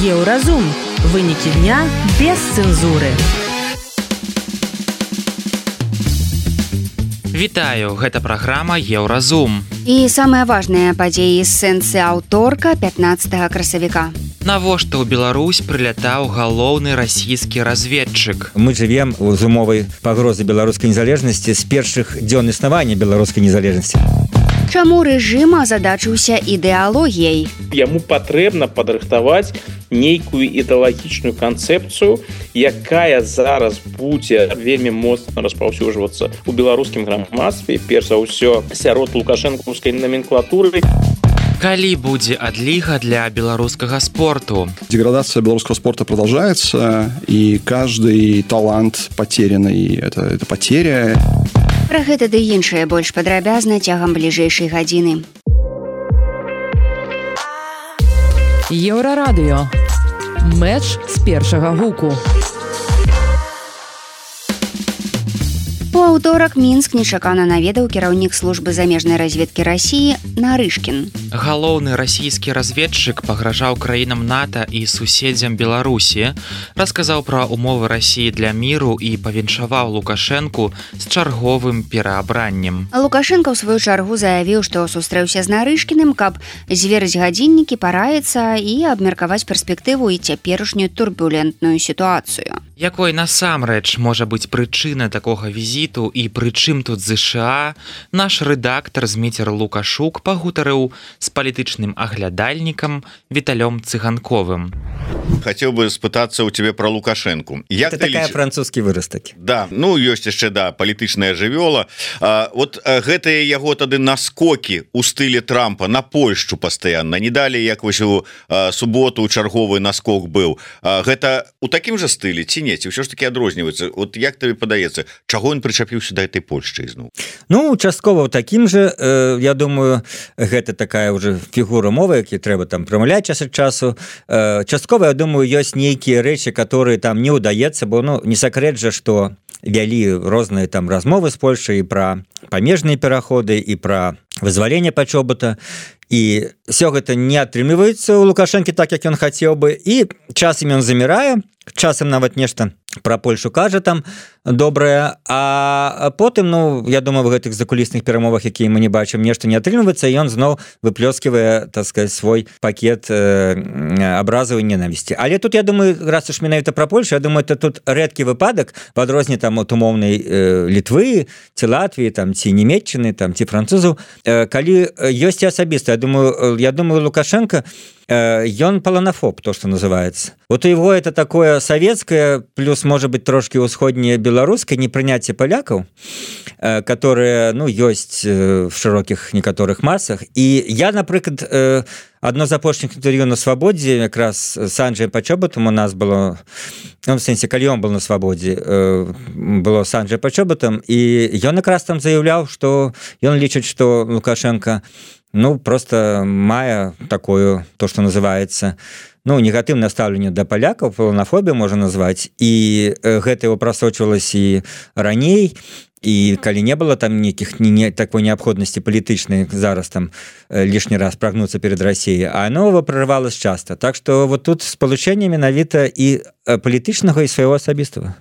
Еўразум. Вынікі дня без цэнзуры. Вітаю, гэта праграма Еўразум. І самыя важныя падзеі з сэнсы аўторка 15 красавіка. Навошта ў Беларусь прылятаў галоўны расійскі разведчык? Мы жывем з умовай пагрозы беларускай незалежнасці з першых дзён існавання беларускай незалежнасці. Чаму рэжым азадачыўся ідэалогіяй? Яму патрэбна падрыхтаваць нейкую ідэалагічную канцэпцыю, якая зараз будзе вельмі моцна распаўсюджвацца ў беларускім грамадстве, перш за ўсё сярод лукашэнкаўскай номенклатуры. Калі будзе адліга для беларускага спорту? Деградация белорусского спорта продолжается, и каждый талант потерянный – это потеря. Пра гэта ды іншае больш падрабязна цягам бліжэйшай гадзіны. Еўрарадыё. Мэч з першага гуку. У аўторак Мінск нечакана наведаў кіраўнік службы замежнай разведкі Расіі Нарышкін. Галоўны расійскі разведчык пагражаў краінам НАТО і суседзям Беларусі, расказаў пра умовы Расіі для міру і павіншаваў Лукашэнку з чарговым пераабраннем. Лукашенко ў сваю чаргу заявіў, што сустрэўся з Нарышкіным, каб зверыць гадзіннікі, параіцца і абмеркаваць перспектыву і цяперашнюю турбулентную сітуацыю. Якой насамрэч можа быць прычына такога візіту і прычым тут ЗША, наш рэдактар Зміцер Лукашук пагутарыў з палітычным аглядальнікам Віталём Цыганковым. Хотел бы спытаться у тебя про Лукашенку. Это такая французский вырасток. Да, ну ёсць яшчэ палітычная жывёла. Вот гэтыя яго тады наскокі у стылі Трампа на Польшчу пастаянна. Не далі як вось у суботу чарговы наскок быў. Гэта у такім жа стылі ці не? Ці ўсё ж таки адрозніваецца? Вот як табе падаецца, чаго ён прычапіўся да этой Польшчы ізноў? Ну, часткова ў такім жа, я думаю, гэта такая ўжо фігура мовы, які трэба там прамаўляць час ад часу. Часткова, я думаю, ёсць нейкія рэчы, которые там не ўдаецца, бо не сакрэт жа, што вялі розныя там размовы з Польшчай і пра памежныя пераходы, і пра вызваленне Пачобута, і ўсё гэта не атрымліваецца ў Лукашэнкі так, як ён хацеў бы, і часам ён замірае, часам нават нешта пра Польшу кажа там добрае, а потым, ну, я думаю, в гэтых закулісных перамовах, якія мы не бачым, нешта не атрымліваецца, і ён зноў выплёскивае, так сказать, свой пакет абразаў і ненавісці. Але тут, я думаю, раз уж менавіта пра Польшу, я думаю, это тут рэдкі выпадак, в адрозненні там от умоўнай Літвы, ці Латвіі, там, ці Нямецчыны, там, ці французаў, калі ёсць асабіста, я думаю, Лукашенко, ён полонофоб, то, что называется. Вот у его это такое советское, плюс, может быть, трошки усходнее белорусское непринятие поляков, которые, ну, есть в широких некоторых массах. И я, например, одно з апошніх інтэрв'ю на свабодзе, якраз з Анджаем Пачобутам у нас было, ну, в сэнсе, калі ён был на свабодзе, было з Анджаем Пачобутам, і ён якраз там заяўляў, што ён лічыць, што Лукашенко, ну, просто мае такое, то, что называется, ну, негатыўнае стаўленне да палякаў, полонофобію можна назваць, і гэта его прасочвалася і раней, і калі не было там нейкіх такой неабходнасці палітычнай зараз там лішні раз прагнуцца перед Расіяй, а оно прорывалось часто. Так что вот тут спалучэнне менавіта і палітычнага і свайго асабістага.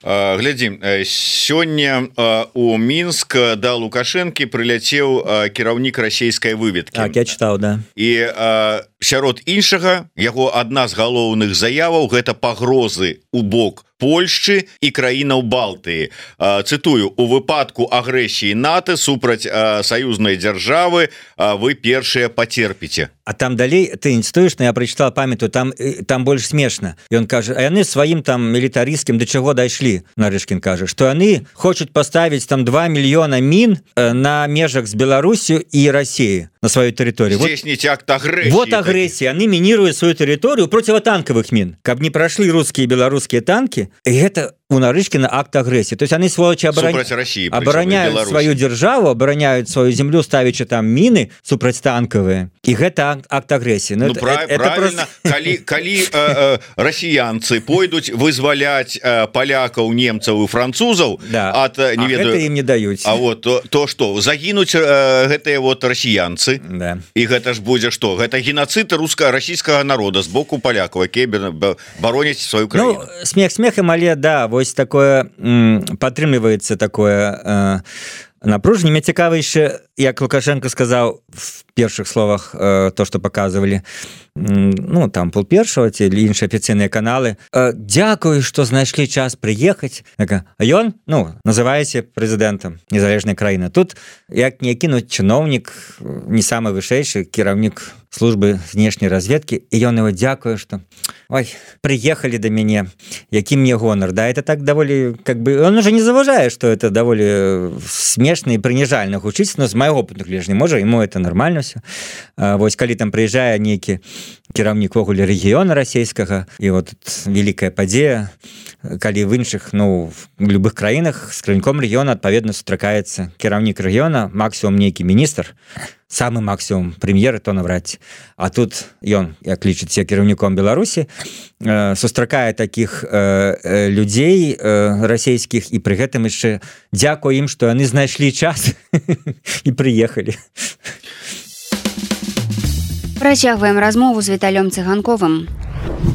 Глядзім, сёння у Мінск да Лукашэнкі прыляцеў кіраўнік расійскай выведкі. Так, я чытаў, да. І сярод іншага, яго адна з галоўных заяваў гэта пагрозы у бок Польшчы і краінаў Балтыі. Цытую: у выпадку агрэсіі НАТО супраць саюзнай дзяржавы вы першыя пацерпіце. А там далей ты інстуеш, я прачытал, памятаю, там больш смешна. Ён кажа, а яны сваім там мілітарысцкім да чаго дайшлі, Нарышкін кажа, што яны хочуць паставіць там 2 мільёна мін на межах з Беларусю і Расіяй на сваёй тэрыторыі. Здзейсніць акт агрэсіі. Вот агрэсія, яны мініруюць сваю тэрыторыю проціватанкавых мін, каб не прайшлі рускія і беларускія танкі. І гэта у Нарышкина акт агрессии. То есть они, сволочи, обороняют свою державу, обороняют свою землю, ставячи там мины супрацьтанковые. И это акт агрессии. Ну, правильно. Просто... Коли россиянцы пойдут вызволять поляков, немцев и французов, от, не ведаю, это им не дают. А вот то что? Загинуть гэтые вот россиянцы. Да. И это ж будет что? Это геноцид российского народа с боку поляков, которые бороняць свою краіну. Ну, смех смехом, але да, вось такое падтрымліваецца такое напружанне. Мне цікава яшчэ, як Лукашенко сказаў в першых словах то, што паказвалі, ну, там пол першого ці іншыя афіцыйныя каналы. Дзякую, што знайшлі час прыехаць. А ён, ну, называеце прэзідэнтам незалежнай краіны. Тут як не кінуць чыноўнік, не самы вышэйшы кіраўнік службы знешняй разведкі, і ён его дзякую, што ой, приехали до мяне, які мне гонор. Да, это так даволі, как бы, он уже не заважае, что это даволі смешна і прыніжальна гучыць, но з майго опыту гледжання, можа, ему это нормально все. Вось калі там прыязджае нейкі кіраўнік вогуле рэгіёна расійскага, і вот вялікая падзея, калі в іншых, ну, в любых краінах з кіраўніком рэгіёна адпаведна сустракаецца кіраўнік рэгіёна, максімум нейкі міністр, самы максимум прэм'еры, то наврад. А тут ён, як лічыцца кіраўніком Беларусі, сустракае такіх людзей расійскіх, і пры гэтым яшчэ дзякую ім, што яны знайшлі час і прыехалі. Працягваем размову з Віталём Цыганковым.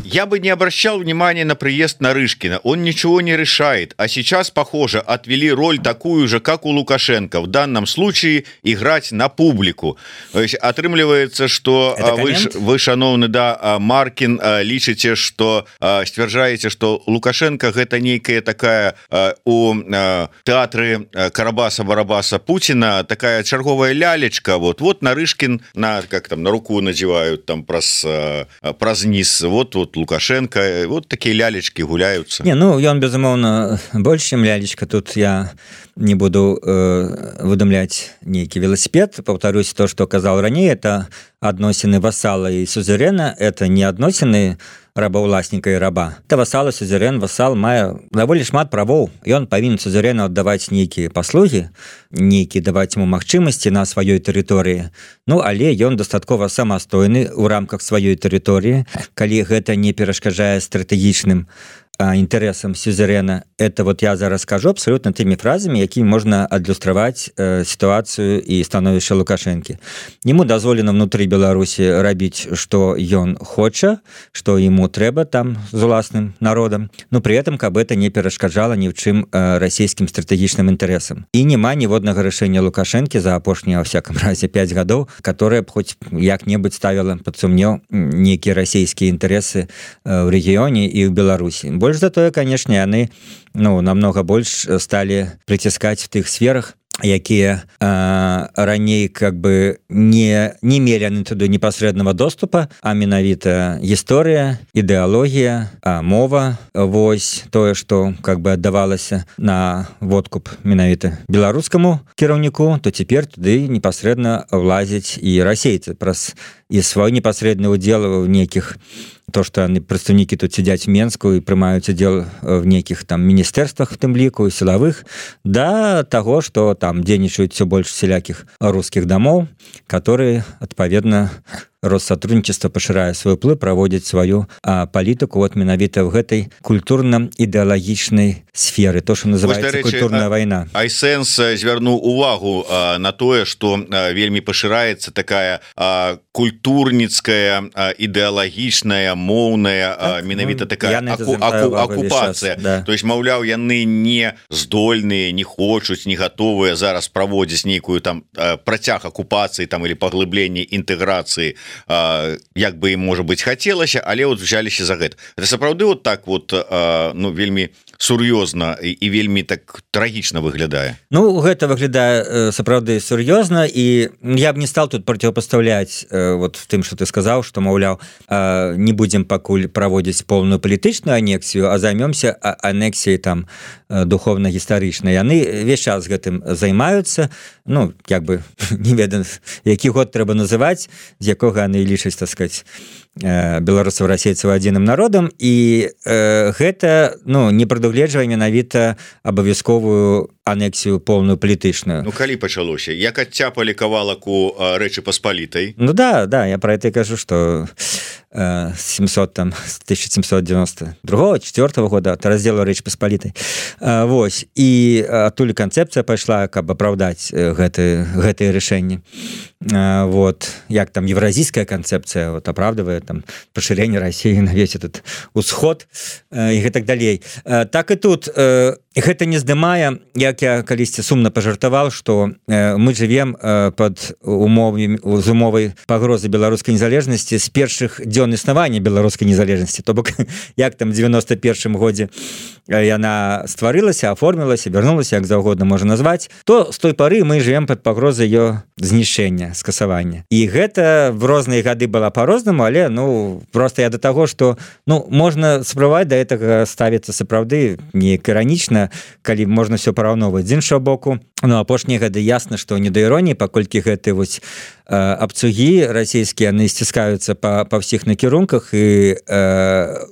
Я бы не обращал внимания на приезд Нарышкина. Он ничего не решает. А сейчас, похоже, отвели роль такую же, как у Лукашенко. В данном случае играть на публику. То есть, отрымливается, что вы, шановны, да, Маркин, лічыце, что сцвярджаеце, что Лукашенко это некая такая у театры Карабаса-Барабаса Путина такая черговая лялечка. Вот Нарышкин как там на руку надевают там праз низ. Вот Лукашенко, вот такие лялечки гуляются. Не, ну, ён, безумоўна, больш, чым лялечка. Тут я не буду выдумлять нейкі велосипед. Повторюсь, то, что казал ранее, это адносіны васала и сузерена, это не адносіны рабаўласніка і раба. Это васал, сузерен, васал мае даволі шмат правоў. Ён павінен сузерену аддаваць нейкія паслугі, нейкі даваць ему магчымасці на сваёй тэрыторыі. Ну, але ён дастаткова самастойны ў рамках сваёй тэрыторыі, калі гэта не перашкаджае стратэгічным інтарэсам сюзерена. Это вот я зараз скажу абсолютно тымі фразамі, якімі можна адлюстраваць сітуацыю і становішча Лукашэнкі. Ему дазволена внутры Беларусі рабіць, што ён хоча, што ему трэба там з уласным народам, но при этом каб это не перашкаджала ні ў чым расійскім стратэгічным інтарэсам. І няма ніводнага рашэння Лукашэнкі за апошнія, во всяком разе, 5 гадоў, которое б хоць як-небудзь ставіла пад сумнеў нейкія расійскія інтарэсы ў рэгіёне і ў Беларусі. Больш за тое, конечно, яны намного больш сталі прыціскаць в тых сферах, якія раней как бы не мелі яны туды непасрэднага доступа, а менавіта гісторыя, ідэалогія, мова, вось тое, што как бы аддавалася на водкуп менавіта беларускаму кіраўніку, то цяпер туды непасрэдна влазяць і расейцы праз і свой непасрэдны удзел в нейкіх, то, что прадстаўнікі тут сядзяць в Менску і прымаюць удзел в нейкіх там міністэрствах, в тым ліку, сілавых, да таго, што там дзейнічаюць все больш всялякіх рускіх дамоў, которые, адпаведна, Россотрудничество, пашырае свой уплыв, праводзіць сваю палітыку вот менавіта в гэтай культурна-ідэалагічнай сферы, то, што называецца культурная вайна. Айсэнс звярнуў увагу на тое, што вельмі пашыраецца такая культурніцкая, ідэалагічная, моўная, менавіта такая акупацыя. Да. То есть, маўляў, яны не здольныя, не хочуць, не гатовыя зараз праводзіць нейкую там працяг акупацыі там или паглыбленне інтэграцыі, як бы им, может быть, хацелася, але вот взяліся за гэта. Это сапраўды вот так вот, ну, вельмі сур'ёзна і вельмі так трагічна выглядае. Ну, гэта выглядае сапраўды сур'ёзна, і я б не стал тут противопоставлять вот тым, что ты сказаў, што, маўляў, не будем пакуль праводзіць полную палітычную анексію, а займемся анексіяй там духовна-гістарычнай. Яны весь час гэтым займаюцца, ну, як бы, не ведаю, які год трэба называць, з якога яны лічаць, так сказать, беларусаў, расейцаў адзіным народам, і гэта, ну, не прадугледжвае прадугледжвае менавіта абавязковую анексію полную палітычную. Ну калі пачалося, як адцяпалі кавалаку Рэчы Паспалітай? Ну да, я про это и кажу, что 1792-4 года от раздзелу Рэчы Паспалітай. Вось, і адтуль канцэпцыя пайшла, каб апраўдаць гэтыя рашэнні. Вот, як там евразійская канцэпцыя вот, апраўдывае там пашырэнне России на весь этот усход і гэтак далей. Так і тут гэта не здымае, як я калісьці сумна пажартаваў, што мы жывем пад умовай пагрозы беларускай незалежнасці з першых дзён існавання беларускай незалежнасці. То бок, як там 91 годзе яна стварылася, аформілася, вярнулася, як заўгодна можна назваць, то з той пары мы жывем пад пагрозай ее знішчэння, скасавання. І гэта в розныя гады была по-рознаму, але ну просто я до таго, што ну можна спрабаваць да гэтага ставіцца сапраўды неяк іранічна, калі можна все параўноўваць. З іншого боку, ну апошнія гады ясна, што не да іроніі, паколькі гэты вось абцугі расійскія яны сціскаюцца па ўсіх накірунках, і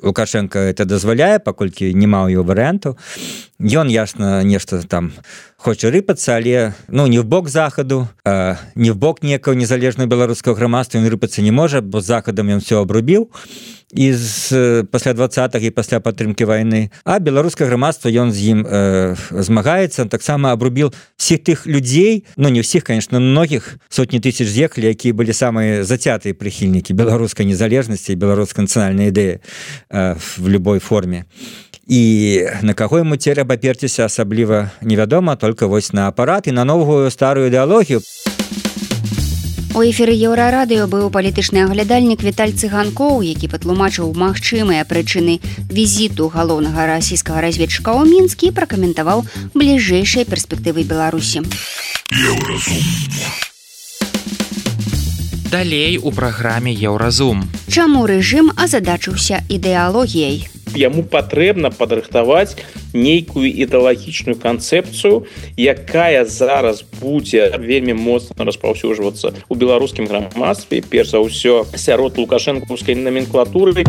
Лукашенко это дазваляе, паколькі няма ў яго варыянту. Ён ясна нешта там хоча рыпацца, але ну не в бок захаду, не в бок некага незалежнага беларускага грамадства ён рыпацца не можа, бо з захадам ён все абрубіў пасля 20-х і пасля падтрымкі вайны, а беларускае грамадства ён з ім змагаецца. Он таксама абрубіў всіх тых людзей, ну не ўсіх, конечно, многіх, сотні тысяч з'ехалі, якія былі самыя зацятыя прыхільнікі беларускай незалежнасці і беларускай нацыянальнай ідэі в любой форме. І на каго яму цераб аперціся асабліва невядома, только вось на апарат і на новую старую ідэалогію. У эфіры Еўрарадыё быў палітычны аглядальнік Віталь Цыганкоў, які патлумачыў магчымыя прычыны візіту галоўнага расійскага разведчыка ў Мінск і пракаментаваў бліжэйшыя перспектывы Беларусі. Далей у праграме Еўразум. Чаму рэжым азадачыўся ідэалогіяй? Яму патрэбна падрыхтаваць нейкую ідэалагічную канцэпцыю, якая зараз будзе вельмі моцна распаўсюджвацца ў беларускім грамадстве, перш за ўсё сярод лукашэнкаўскай номенклатуры.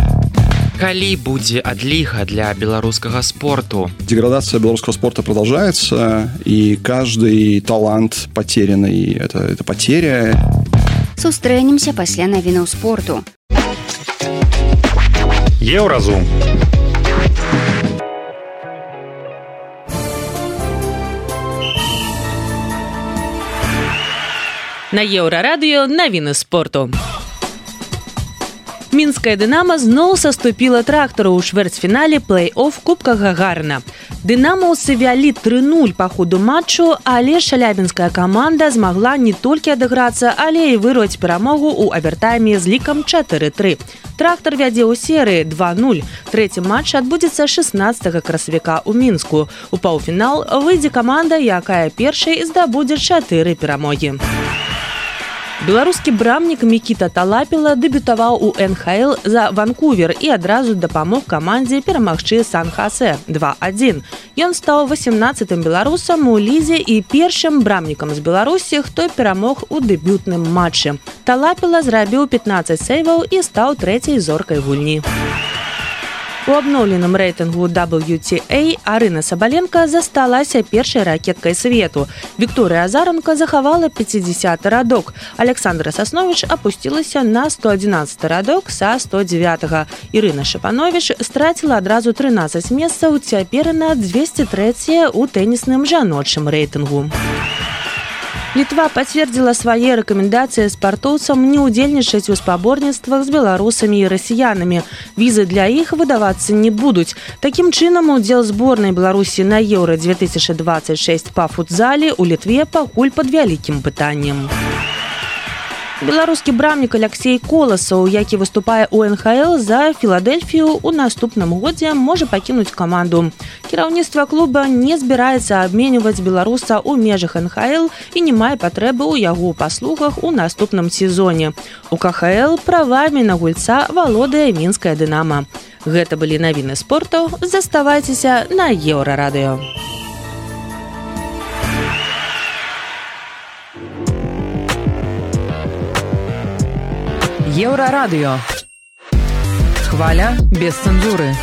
Калі будзе адліга для беларускага спорту? Деградация белорусского спорта продолжается, и каждый талант потерянный – это потеря. Сустрэнемся пасля навінаў спорту. Еўразум. На Еўрарадыё навіны спорту. Мінская «Дынамо» зноў саступіла трактару ў чвэрцьфінале плэй-офф Кубка Гагарына. «Дынамаўцы» вялі 3-0 па ходу матчу, але шалябінская каманда змагла не толькі адыграцца, але і вырваць перамогу ў авертайме з лікам 4-3. Трактар вядзе ў серыі 2-0. Трэці матч адбудзецца 16 красавіка ў Мінску. У паўфінал выйдзе каманда, якая першай здабудзе 4 перамогі. Беларускі брамнік Мікіта Талапіла дэбютаваў у НХЛ за Ванкувер і адразу дапамог камандзе перамагчы Сан-Хасе 2-1. Ён стаў 18-м беларусам у лізе і першым брамнікам з Беларусі, хто перамог у дэбютным матчы. Талапіла зрабіў 15 сейваў і стаў трэцяй зоркай гульні. У абноўленым рэйтынгу WTA Арына Сабаленка засталася першай ракеткай свету. Вікторыя Азаранка захавала 50-й радок. Александра Сасновіч апусцілася на 111-й радок са 109-га. Ірына Шапановіч страціла адразу 13 месцаў, цяпер на 203-е ў тэнісным жаночым рэйтынгу. Літва пацвердзіла свае рэкамендацыі спартоўцам не ўдзельнічаць у спаборніцтвах з беларусамі і расіянамі. Візы для іх выдавацца не будуць. Такім чынам, удзел зборнай Беларусі на Еўра-2026 па футзале ў Літве пакуль пад вялікім пытаннем. Беларускі брамнік Аляксей Коласаў, які выступае ў НХЛ за Філадельфію, у наступным годзе можа пакінуць каманду. Кіраўніцтва клуба не збіраецца абменьваць беларуса ў межах НХЛ і не мае патрэбы ў яго паслугах у наступным сезоне. У КХЛ правамі на гульца валодае мінская «Дынамо». Гэта былі навіны спорту. Заставайцеся на Еўрарадыё. Еўрарадыё. Хваля без цэнзуры.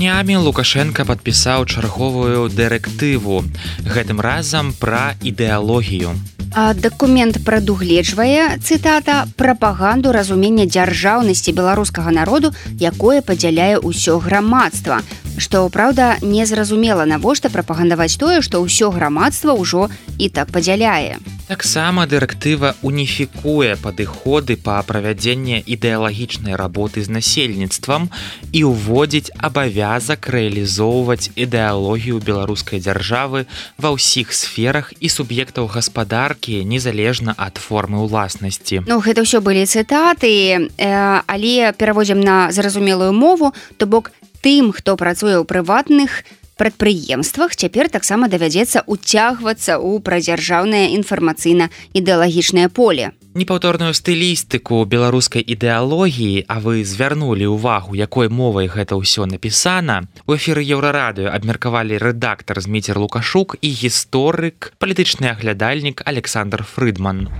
Днямі Лукашенко падпісаў чарговую дырэктыву, гэтым разам пра ідэалогію. А дакумент прадугледжвае, цытата, прапаганду разумення дзяржаўнасці беларускага народу, якое падзяляе ўсё грамадства. Што, праўда, незразумела, навошта прапагандаваць тое, што ўсё грамадства ўжо і так падзяляе. Таксама дырэктыва уніфікуе падыходы па правядзенні ідэалагічнай работы з насельніцтвам і ўводзіць абавязак рэалізоўваць ідэалогію беларускай дзяржавы ва ўсіх сферах і суб'ектаў гаспадаркі незалежна ад формы ўласнасці. Ну, гэта ўсё былі цытаты, але пераводзім на зразумелую мову, то бок тым, хто працуе ў прыватных прадпрыемствах, цяпер таксама давядзецца ўцягвацца ў прадзяржаўнае інфармацыйна-ідэалагічнае поле. Непаўторную стылістыку беларускай ідэалогіі, а вы звярнулі ўвагу, якой мовай гэта ўсё напісана, у эфіры Еўрарадыё абмеркавалі рэдактар Зміцер Лукашук і гісторык, палітычны аглядальнік Александр Фрыдман.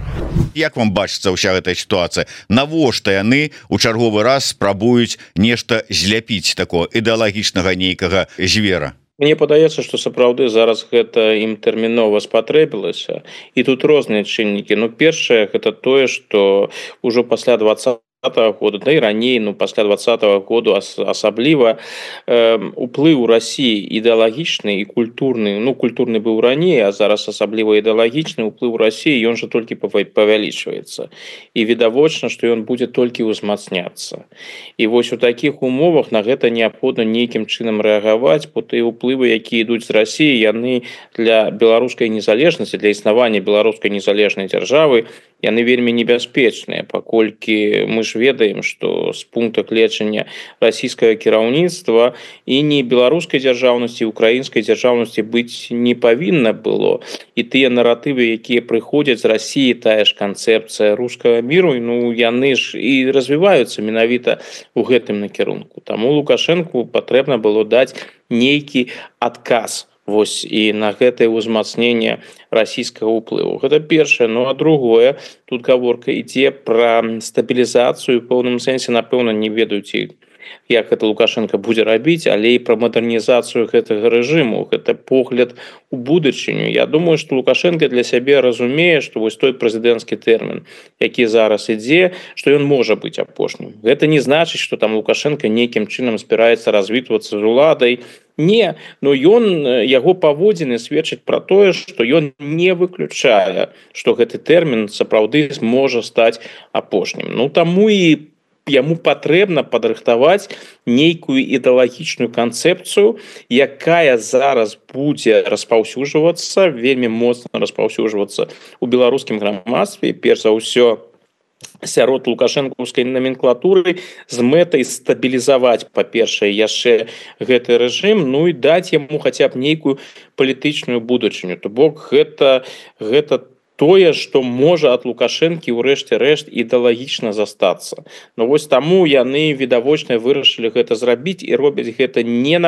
Як вам бачыцца ўся гэтая сітуацыя? Навошта яны ў чарговы раз спрабуюць нешта зляпіць такого ідэалагічнага нейкага звера? Мне падаецца, што сапраўды зараз гэта ім тэрмінова спатрэбілася. І тут розныя чыннікі. Ну, першае, гэта тое, што ўжо пасля 20-го года, да і раней, ну, пасля 20-го году асабліва уплыў Расіі ідэалагічны і культурны, ну, культурны быў раней, а зараз асабліва ідэалагічны уплыў Расіі, ён жа толькі павялічваецца. І відавочна, што ён будзе толькі ўзмацняцца. І вось у такіх умовах на гэта неабходна нейкім чынам рэагаваць, бо тыя ўплывы, якія ідуць з Расіі, яны для беларускай незалежнасці, для існавання беларускай незалежнай дзяржавы, яны вельмі небяспечныя, паколькі мы ж ведаем, што з пункта гледжання расійскага кіраўніцтва і ні беларускай дзяржаўнасці, украінскай дзяржаўнасці быць не павінна было. І тыя наратывы, якія прыходзяць з Расіі, тая ж канцэпцыя рускага міру, ну, яны ж і развіваюцца менавіта ў гэтым накірунку. Таму Лукашэнку патрэбна было даць нейкі адказ вось і на гэтае ўзмацненне расійскага ўплыву. Гэта першае. Ну, а другое, тут гаворка ідзе пра стабілізацыю, у пэўным сэнсе, напэўна, не ведаюць, як гэта Лукашенко будзе рабіць, але і пра мадэрнізацыю гэтага рэжыму, гэта погляд у будучыню. Я думаю, што Лукашенко для сябе разумее, што вось той прэзідэнцкі тэрмін, які зараз ідзе, што ён можа быць апошнім. Гэта не значыць, што там Лукашенко нейкім чынам збіраецца развітвацца з уладай. Не, но яго паводзіны сведчаць пра тое, што ён не выключае, што гэты тэрмін сапраўды можа стаць апошнім. Ну, таму і яму патрэбна падрыхтаваць нейкую ідэалагічную канцэпцыю, якая зараз будзе распаўсюджвацца, вельмі моцна распаўсюджвацца ў беларускім грамадстве, перш за ўсё сярод лукашэнкаўскай номенклатуры з мэтай стабілізаваць, па-першае, яшчэ гэты рэжым, ну і даць яму хаця б нейкую палітычную будучыню. То бок гэта тое, што можа ад Лукашэнкі ў рэшце рэшт ідэалагічна застацца. Ну вось таму яны відавочна вырашылі гэта зрабіць і робяць гэта не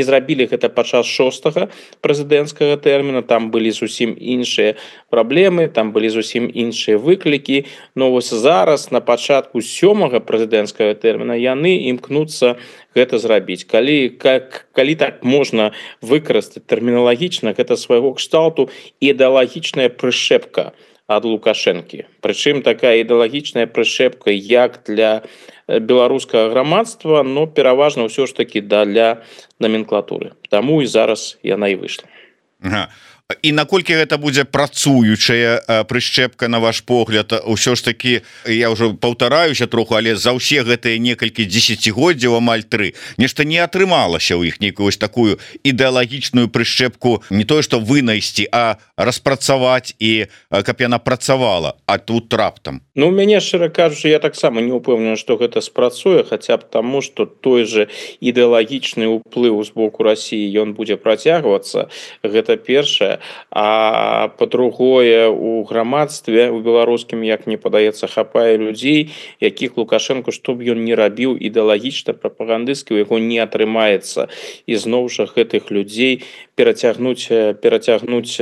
зрабілі гэта падчас 6-го прэзідэнцкага тэрміна, там былі зусім іншыя праблемы, там былі зусім іншыя выклікі. Но вось зараз на пачатку 7-го прэзідэнцкага тэрміна яны імкнуцца гэта зрабіць. Калі так можна выкарыстаць тэрміналагічна, гэта свайго кшталту ідэалагічная прышэпка ад Лукашэнкі. Прычым такая ідэалагічная прышэпка як для беларускага грамадства, но пераважна ўсё ж такі для номенклатуры. Таму і зараз яна і выйшла. І наколькі гэта будзе працуючая прышчэпка, на ваш погляд? Усё ж такі, я ўжо паўтараюся троху, але за ўсе гэтыя некалькі дзесяцігоддзяў, амаль 3, нешта не атрымалася ў іх нейкую вось такую ідэалагічную прышчэпку, не тое што вынайсці, а распрацаваць і каб яна працавала, а тут раптам. Ну, у мяне, шчыра кажучы, я таксама не ўпэўнены, што гэта спрацуе, хаця б таму, што той же ідэалагічны ўплыў з боку Расіі ён будзе працягвацца. Гэта першае. а па-другое у грамадстве у беларускім, як мне падаецца, хапае людзей, якіх Лукашенко, што б ён не рабіў ідэалагічна прапагандысцкі, у яго не атрымаецца і зноў жа гэтых людзей перацягнуць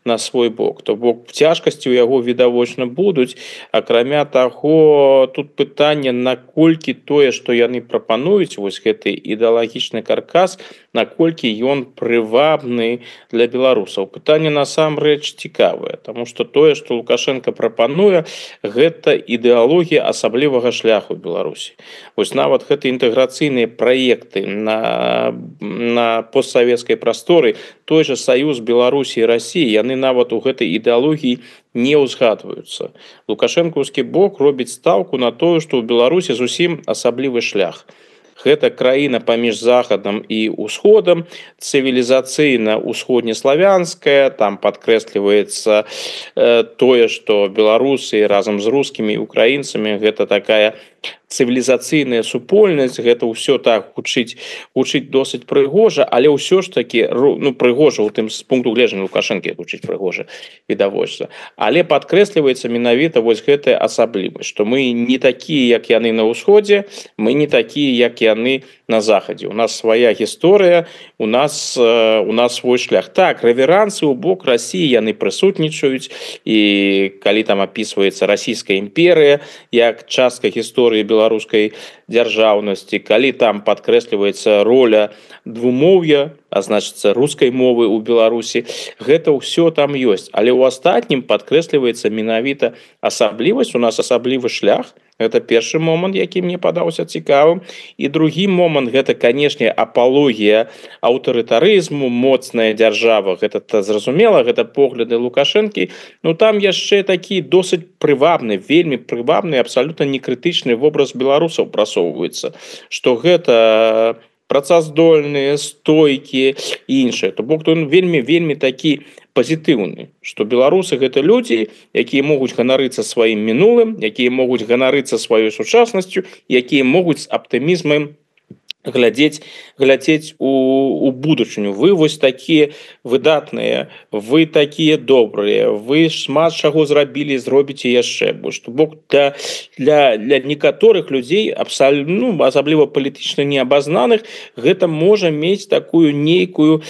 на свой бок. То бок цяжкасці у яго відавочна будуць. Акрамя таго, тут пытанне, наколькі тое, што яны прапануюць, вось гэты ідэалагічны каркас, наколькі ён прывабны для беларусаў. Пытанне насамрэч цікавае, таму што тое, што Лукашенко прапануе, гэта ідэалогія асаблівага шляху Беларусі. Вось нават гэты інтэграцыйныя праекты на постсавецкай прасторы, той же саюз Беларусі і Расіі, яны нават у гэтай ідэалогіі не ўзгадваюцца. Лукашэнкаўскі бок робіць стаўку на тое, што ў Беларусі зусім асаблівы шлях. Гэта краіна паміж захадам і ўсходам, цывілізацыйна ўсходнеславянская, там падкрэсліваецца тое, што беларусы разам з рускімі і украінцамі гэта такая цывілізацыйная супольнасць, гэта ўсё так гучыць досыць прыгожа, але ўсё ж такі прыгожа ў тым з пункту гледжання Лукашэнкі гучыць прыгожа відавочна. Але падкрэсліваецца менавіта вось гэтая асаблівасць, што мы не такія, як яны на ўсходзе, мы не такія, як яны на захадзе. У нас свая гісторыя, у нас свой шлях. Так, рэверансы ў бок Расіі яны прысутнічаюць, і калі там апісваецца расійская імперыя як частка гісторыі беларускай дзяржаўнасці, калі там падкрэсліваецца роля двумоўя, а значыцца рускай мовы ў Беларусі, гэта ўсё там ёсць. Але ў астатнім падкрэсліваецца менавіта асаблівасць, у нас асаблівы шлях. Гэта першы момант, які мне падаўся цікавым. І другі момант, гэта, канешне, апалогія аўтарытарызму, моцная дзяржава. Гэта зразумела, гэта погляды Лукашэнкі. Ну там яшчэ такі досыць прывабны, вельмі прывабны, абсалютна некрытычны вобраз беларусаў прасоўваецца. Што гэта працаздольныя, стойкія і іншыя. То бок ён вельмі такі пазітыўны, што беларусы гэта людзі, якія могуць ганарыцца сваім мінулым, якія могуць ганарыцца сваёй сучаснасцю, якія могуць з аптымізмам глядзець у будучыню. Вы вось такія выдатныя, вы такія добрыя, вы шмат чаго зробіце яшчэ больш. То бок для некаторых людзей, асабліва палітычна неабазнаных, гэта можа мець такую нейкую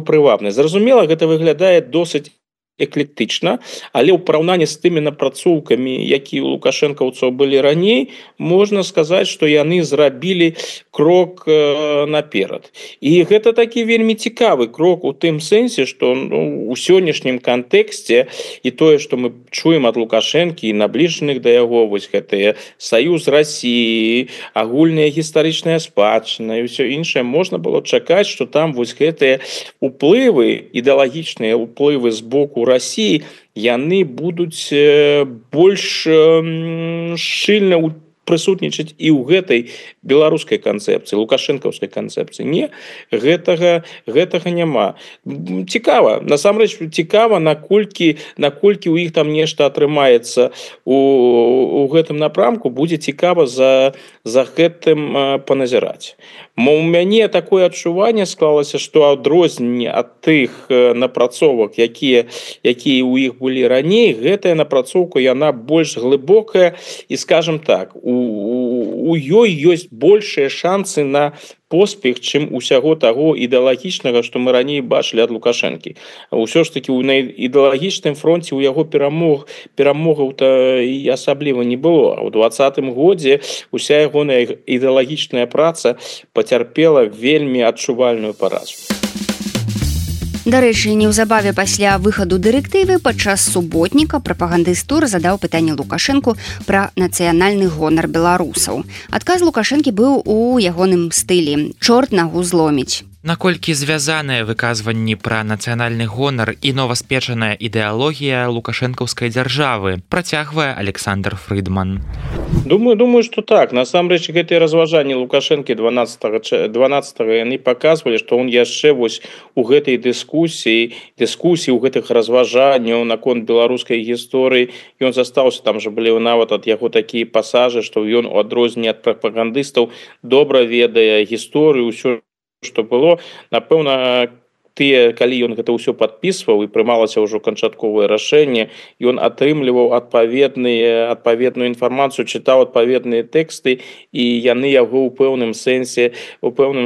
прывабнасць. Зразумела, гэта выглядае досыць эклектычна, але ў параўнанні з тымі напрацоўкамі, якія ў лукашэнкаўцаў былі раней, можна сказаць, што яны зрабілі крок наперад. І гэта такі вельмі цікавы крок у тым сэнсе, што у сённяшнім кантэксце і тое, што мы чуем ад Лукашэнкі і набліжаных да яго, вось гэтыя саюз Расіі, агульная гістарычная спадчына і ўсё іншае, можна было чакаць, што там вось гэтыя уплывы, ідэалагічныя уплывы з боку Расіі, яны будуць больш шчыльна прысутнічаць і ў гэтай беларускай канцэпцыі, лукашэнкаўскай канцэпцыі. Не, гэтага няма. Цікава, насамрэч цікава, наколькі ў іх там нешта атрымаецца у гэтым напрамку, будзе цікава за гэтым паназіраць. У мяне такое адчуванне склалася, што адрозненне ад тых напрацовак, якія ў іх былі раней, гэтая напрацоўка, яна больш глыбокая і, скажем так, у ёй ёсць большыя шансы на поспех, чым усяго таго ідэалагічнага, што мы раней бачылі ад Лукашэнкі. Усё ж такі на ідэалагічным фронце ў яго перамогаў-то і асабліва не было. А ў 2020 годзе уся ягоная ідэалагічная праца пацярпела вельмі адчувальную паразу. Дарэчы, неўзабаве пасля выхаду дырэктывы падчас суботніка прапагандыст тур задаў пытанне Лукашэнку пра нацыянальны гонар беларусаў. Адказ Лукашэнкі быў у ягоным стылі: «Чорт нагу зломіць». Наколькі звязаныя выказванні пра нацыянальны гонар і новаспечаная ідэалогія лукашэнкаўскай дзяржавы, працягвае Александр Фрыдман. Думаю, што так. Насамрэч, гэтыя разважанні Лукашэнкі 12-го яны паказвалі, што он яшчэ вось у гэтай дыскусіі ў гэтых разважанняў наконт беларускай гісторыі, ён застаўся, там жа былі нават ад яго такія пасажы, што ён у адрозненні ад прапагандыстаў добра ведае гісторыю, ўсё, што было. Напэўна, калі ён гэта ўсё падпісваў і прымалася ўжо канчатковае рашэнне, ён атрымліваў адпаведную інфармацыю, чытаў адпаведныя тэксты, і яны яго ў пэўным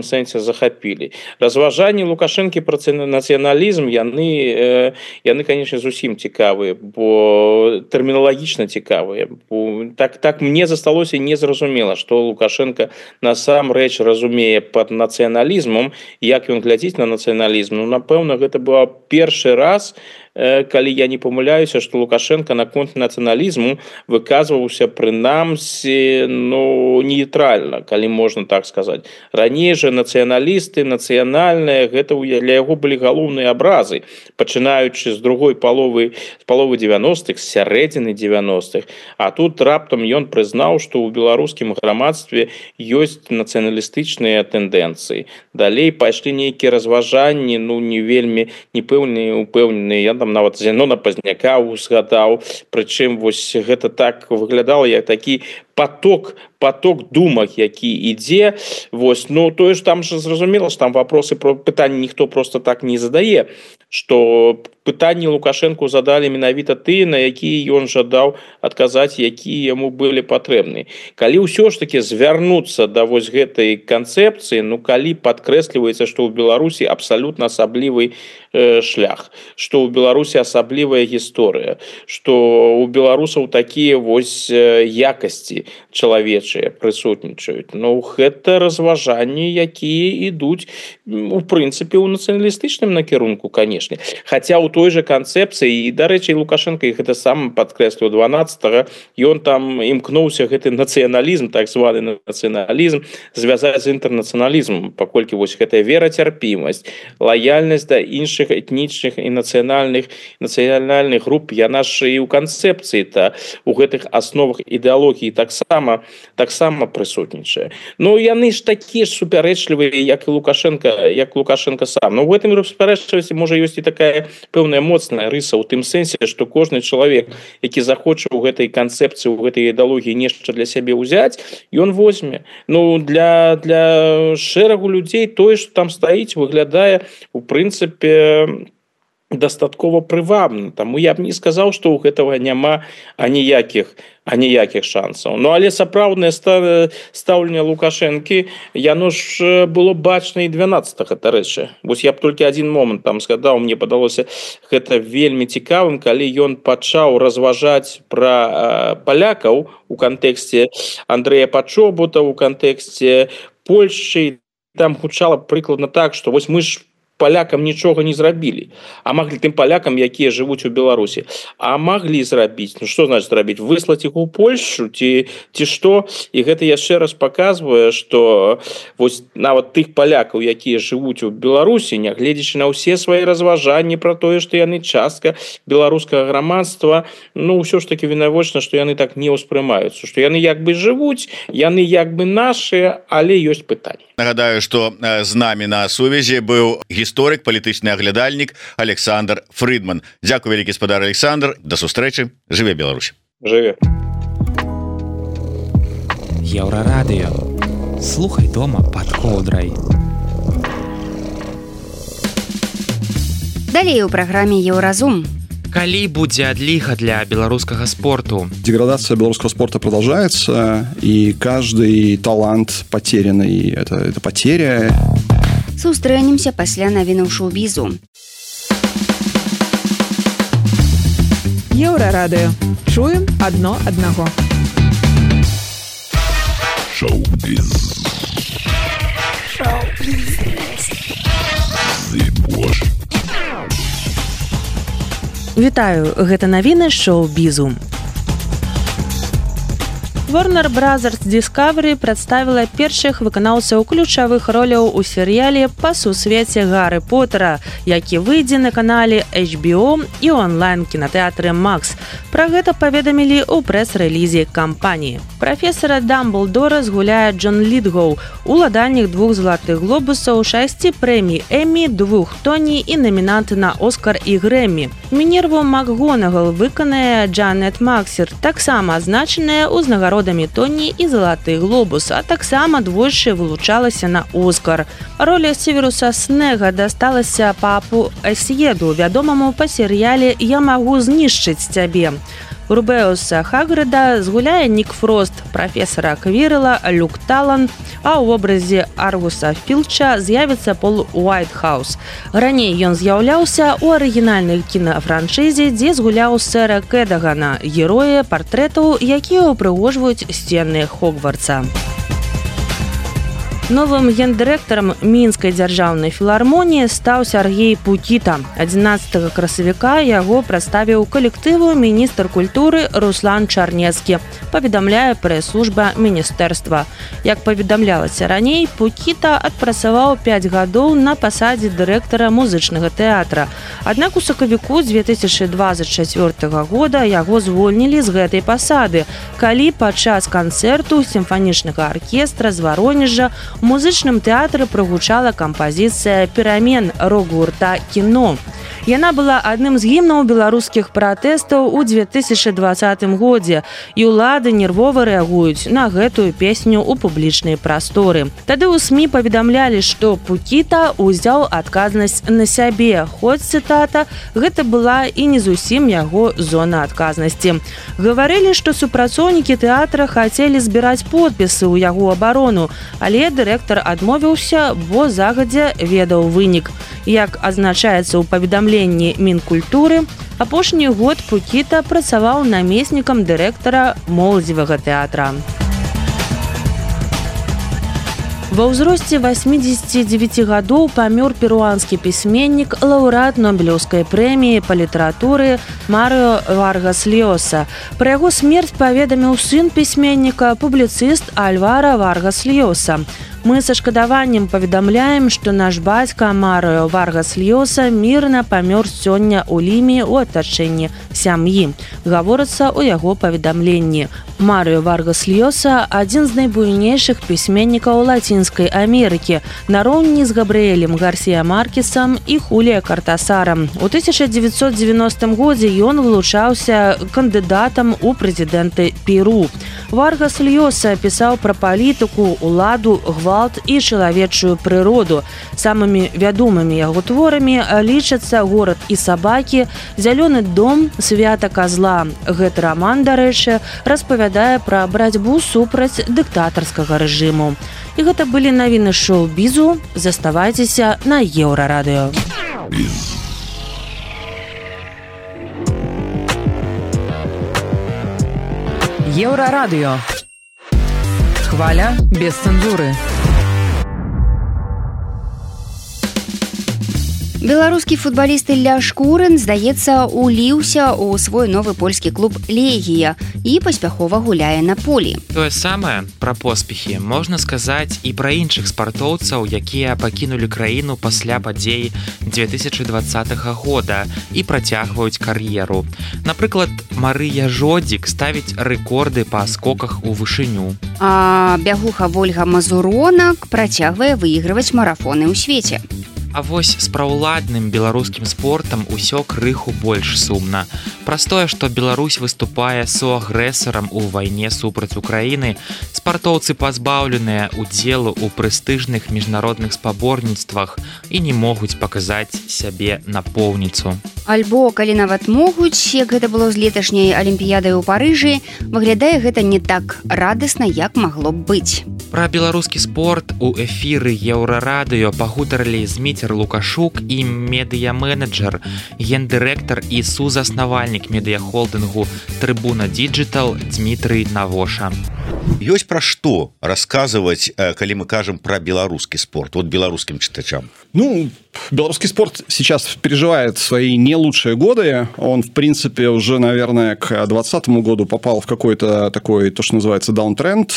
сэнсе захапілі. Разважанні Лукашэнкі пра нацыяналізм яны конечно, зусім цікавыя, бо тэрміналагічна цікавыя. Так мне засталося незразумела, што Лукашенко насамрэч разумее пад нацыяналізмам, як ён глядзіць на нацыяналізм. Напэўна, гэта быў першы раз, калі я не памыляюся, што Лукашенко наконт нацыяналізму выказваўся прынамсі нейтральна, калі можна так сказаць. Раней жа нацыяналісты, нацыянальныя, гэта для яго былі галоўныя абразы, пачынаючы з другой паловы 90-х, з сярэдзіны 90-х. А тут раптам ён прызнаў, што ў беларускім грамадстве ёсць нацыяналістычныя тэндэнцыі. Далей пайшлі нейкія разважанні, не вельмі упэўненыя. Я нават Зенона Пазняка узгадаў, прычым вось гэта так выглядала, як такі поток думак, які ідзе. Вось, тое ж там же зразумела, што там вопросы про пытанні ніхто просто так не задае, што пытанні Лукашэнку задалі менавіта тыя, на якія ён жадаў адказаць, якія яму былі патрэбны. Калі ўсё ж таки звярнуцца да вось гэтай канцэпцыі, калі падкрэсліваецца, што ў Беларусі абсалютна асаблівы шлях, што ў Беларусі асаблівая гісторыя, што ў беларусаў такія вось якасці чалавечыя прысутнічаюць. Гэта разважанні, якія ідуць у прынцыпе ў нацыяналістычным накірунку, канешне. Хаця ў той жа канцэпцыі, і, дарэчы, Лукашенко гэта сам падкрэсліў 12-го, ён там імкнуўся гэты нацыяналізм, так званы нацыяналізм, звязаць з інтэрнацыяналізмам, паколькі вось гэтая верацярпімасць, лаяльнасць да іншых этнічных і нацыянальных груп, яна ж і ў канцэпцыі-то у гэтых асновах ідэалогіі таксама прысутнічае. Яны ж такія ж супярэчлівыя, як і Лукашенко сам. У гэтым супярэчлівасці можа ёсць і такая пэўная моцная рыса ў тым сэнсе, што кожны чалавек, які захоча ў гэтай канцэпцыі, у гэтай ідэалогіі нешта для сябе ўзяць, ён возьме. Для шэрагу людзей тое, што там стаіць, выглядае у прынцыпе дастаткова прывабна. Таму я б не сказаў, што ў гэтага няма аніякіх шансаў. Але сапраўднае стаўленне Лукашэнкі, яно ж было бачна і 12-го, дарэчы. Вось я б толькі адзін момант там згадаў, мне падалося гэта вельмі цікавым, калі ён пачаў разважаць пра палякаў у кантэксце Андрэя Пачобута, у кантэксце Польшчы. Там гучала прыкладна так, што вось мы ж палякам нічога не зрабілі, а маглі тым палякам, якія жывуць у Беларусі, а маглі зрабіць. Што значыць зрабіць? Выслаць іх у Польшчу ці што? І гэта яшчэ раз паказвае, што вось нават тых палякаў, якія жывуць у Беларусі, нягледзячы на ўсе свае разважанні пра тое, што яны частка беларускага грамадства, ўсё ж таки відавочна, што яны так не ўспрымаюцца, што яны як бы жывуць, яны як бы нашыя, але ёсць пытанні. Нагадаю, што з намі на сувязі быў гісторык, палітычны аглядальнік Александр Фрыдман. Дзякуй вялікі, спадар Александр. Да сустрэчы. Жыве Беларусь. Жыве. Еўрарадыё. Слухай дома пад коўдрай. Далей у праграме Еўразум. Калі будзе адліга для беларускага спорту? Деградация белорусского спорта продолжается, и каждый талант потерянный – это потеря. Сустрэнемся пасля навінаў шоу-бізу. Еўрарадыё. Чуем адно аднаго. Шоу-біз. Вітаю, гэта навіны шоу-бізу. Warner Brothers Discovery прадставіла першых выканаўцаў ключавых роляў у серыяле па сусвеце Гарры Поттера, які выйдзе на канале HBO і онлайн-кінатэатры Max. Пра гэта паведамілі ў прэс-рэлізе кампаніі. Прафесара Дамблдора згуляе Джон Літгоў, уладальнік 2 залатых глобусаў, 6 прэмій Эммі, 2 Тоні і намінант на Оскар і Грэммі. Мінерву МакГонагал выканае Джанет Максер, таксама азначаная ўзнагарод нагородамі Тоні і залаты глобус, а таксама двойчы вылучалася на Оскар. Роля Северуса Снега дасталася папу Эсьеду, вядомаму па серыяле «Я магу знішчыць цябе». Рубеуса Хагрыда згуляе Нік Фрост, прафесара Квірла Люк Талан, а ў вобразе Аргуса Філча з'явіцца Пол Уайтхаус. Раней ён з'яўляўся ў арыгінальнай кінафраншызе, дзе згуляў сэра Кэдагана, героя партрэтаў, якія ўпрыгожваюць сцены Хогвартса. Новым гендырэктарам Мінскай дзяржаўнай філармоніі стаў Сяргей Пукіта. 11 красавіка яго прадставіў калектыву міністр культуры Руслан Чарнецкі, паведамляе прэс-служба міністэрства. Як паведамлялася раней, Пукіта адпрацаваў 5 гадоў на пасадзе дырэктара музычнага тэатра. Аднак у сакавіку 2024 года яго звольнілі з гэтай пасады, калі падчас канцэрту сімфанічнага аркестра з Варонежа у музычным тэатры прагучала кампазіцыя «Перамен» рок-гурта «Кіно». Яна была адным з гімнаў беларускіх пратэстаў у 2020 годзе, і ўлады нервова рэагуюць на гэтую песню ў публічнай прасторы. Тады ў СМІ паведамлялі, што Пукіта ўзяў адказнасць на сябе, хоць, цытата, гэта была і не зусім яго зона адказнасці. Гаварылі, што супрацоўнікі тэатра хацелі збіраць подпісы ў яго абарону, але дырэктар адмовіўся, бо загадзя ведаў вынік. Як адзначаецца ў паведамленні Мінкультуры, апошні год Пукіта працаваў намеснікам дырэктара моладзевага тэатра. Ва ўзросце 89 гадоў памёр перуанскі пісьменнік, лаўрэат Нобелеўскай прэміі па літаратуры Марыо Варгас Льоса. Пра яго смерць паведаміў сын пісьменніка, публіцыст Альвара Варгас Льоса. Мы са шкадаваннем паведамляем, што наш бацька Марыо Варгас Льоса мірна памёр сёння ў Ліме ў атачэнні сям'і. Гаворыцца ў яго паведамленні. Марыо Варгас Льоса – адзін з найбуйнейшых пісьменнікаў Лацінскай Амерыкі, нароўні з Габрыэлем Гарсія Маркесам і Хулія Картасарам. У 1990 годзе ён вылучаўся кандыдатам у прэзідэнты Перу. Варгас Льоса пісаў пра палітыку, уладу, гвалт і чалавечую прыроду. Самымі вядомымі яго творамі лічацца «Горад і сабакі», «Зялёны дом», «Свята казла». Гэты раман, дарэчы, распавядае пра барацьбу супраць дыктатарскага рэжыму. І гэта былі навіны шоу-бізу. Заставайцеся на Еўрарадыё. Еўрарадыё. Хваля без цэнзуры. Беларускі футбаліст Ілля Шкурын, здаецца, уліўся ў свой новы польскі клуб «Легія» і паспяхова гуляе на полі. Тое самае пра поспехі можна сказаць і пра іншых спартоўцаў, якія пакінулі краіну пасля падзей 2020 года і працягваюць кар'еру. Напрыклад, Марыя Жодзік ставіць рэкорды па скоках у вышыню. А бягуха Вольга Мазуронак працягвае выйгрываць марафоны ў свеце. А вось з праўладным беларускім спортам усё крыху больш сумна. Праз тое, што Беларусь выступае суагрэсарам у вайне супраць Украіны, спартоўцы пазбаўленыя удзелу ў прэстыжных міжнародных спаборніцтвах і не могуць паказаць сябе напоўніцу. Альбо, калі нават могуць, як гэта было з леташняй алімпіядай у Парыжы, выглядае гэта не так радасна, як магло б быць. Пра беларускі спорт у эфіры Еўрарадыё пагутарылі Зміцер Лукашук і медыяменеджер, гендырэктар і сузаснавальнік медыяхолдынгу Трыбуна Діджытал Дмітрый Навоша. Ёсць пра што расказваць, калі мы кажам пра беларускі спорт, вот беларускім чытачам? Ну, белорусский спорт сейчас переживает свои не лучшие годы. Он, в принципе, уже, наверное, к 2020 году попал в какой-то такой, то, что называется, даунтренд.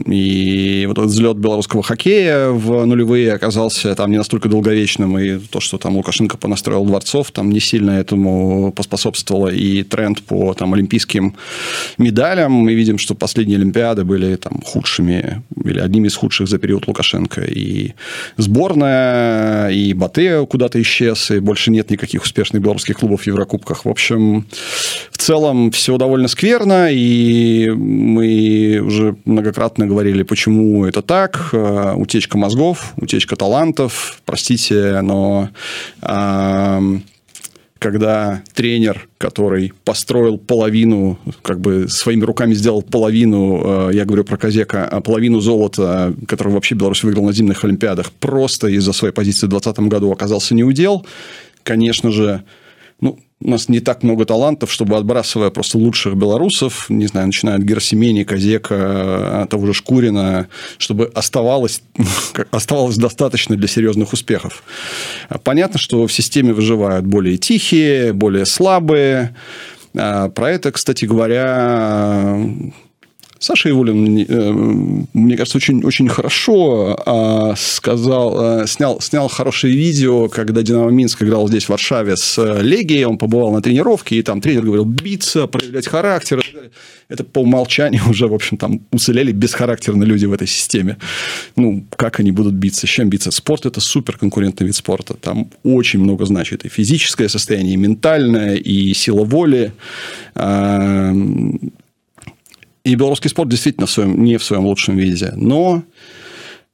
И вот этот взлет белорусского хоккея в нулевые оказался там не настолько долговечным. И то, что там Лукашенко понастроил дворцов, там не сильно этому поспособствовало. И тренд по там олимпийским медалям. Мы видим, что последние олимпиады были там худшими или одними из худших за период Лукашенко. И сборная, и Батэ куда-то исчез, и Беларуси больше нет никаких успешных белорусских клубов в Еврокубках. В общем, в целом все довольно скверно, и мы уже многократно говорили, почему это так. Утечка мозгов, утечка талантов. Простите, но когда тренер, который построил половину, как бы своими руками сделал половину, я говорю про Козека, половину золота, который вообще Беларусь выиграл на зимних Олимпиадах, просто из-за своей позиции в 2020 году оказался неудел, конечно же, у нас не так много талантов, чтобы, отбрасывая просто лучших белорусов, не знаю, начиная от Герасимени, Козека, того же Шкурина, чтобы оставалось достаточно для серьезных успехов. Понятно, что в системе выживают более тихие, более слабые. Про это, кстати говоря, Саша Ивулин, мне кажется, очень, очень хорошо снял хорошее видео, когда «Динамо Минск» играл здесь, в Варшаве, с Легией. Он побывал на тренировке, и там тренер говорил биться, проявлять характер. Это по умолчанию уже, в общем, там уцелели бесхарактерные люди в этой системе. Как они будут биться? С чем биться? Спорт – это суперконкурентный вид спорта. Там очень много значит и физическое состояние, и ментальное, и сила воли. И белорусский спорт действительно не в своем лучшем виде. Но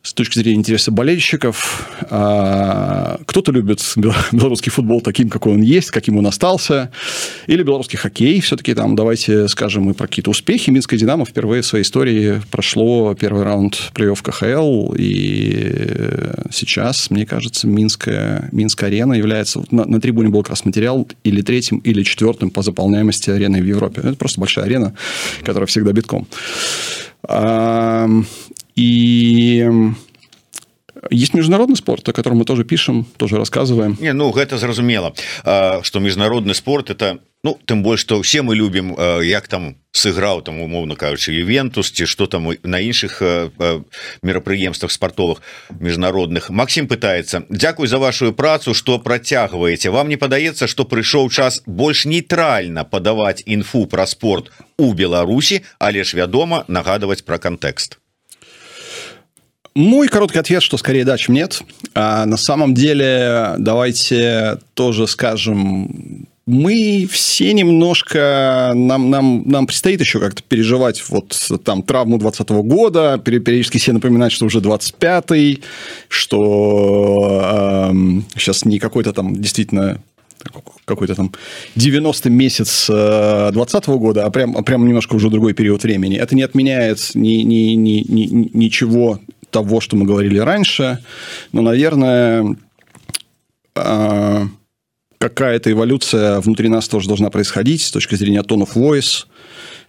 с точки зрения интереса болельщиков, кто-то любит белорусский футбол таким, какой он есть, каким он остался. Или белорусский хоккей. Все-таки там давайте скажем и про какие-то успехи. Минское «Динамо» впервые в своей истории прошло первый раунд плей-офф КХЛ. И сейчас, мне кажется, Минская арена является... На трибуне был как раз материал или третьим, или четвертым по заполняемости арены в Европе. Это просто большая арена, которая всегда битком. И есть международный спорт, о котором мы тоже пишем, тоже рассказываем. Гэта зразумела, что международный спорт это, тым больш, что все мы любим, як там сыграў, там, умоўно кажучы, Ювентус, ці что там на іншых мерапрыемствах спартовых международных. Максим пытается: дзякуй за вашу працу, что працягваеце. Вам не падаецца, что прыйшоў час больш нейтральна падаваць інфу пра спорт у Беларусі, але ж вядома нагадываць пра кантэкст? Мой короткий ответ, что скорее да, чем нет. На самом деле, давайте тоже скажем, мы все немножко, нам предстоит еще как-то переживать там травму 2020 года, периодически все напоминают, что уже 25-й, что сейчас не какой-то там действительно какой-то там 90-й месяц 2020 года, а прям немножко уже другой период времени. Это не отменяет ничего того, что мы говорили раньше, но, наверное, какая-то эволюция внутри нас тоже должна происходить с точки зрения tone of voice,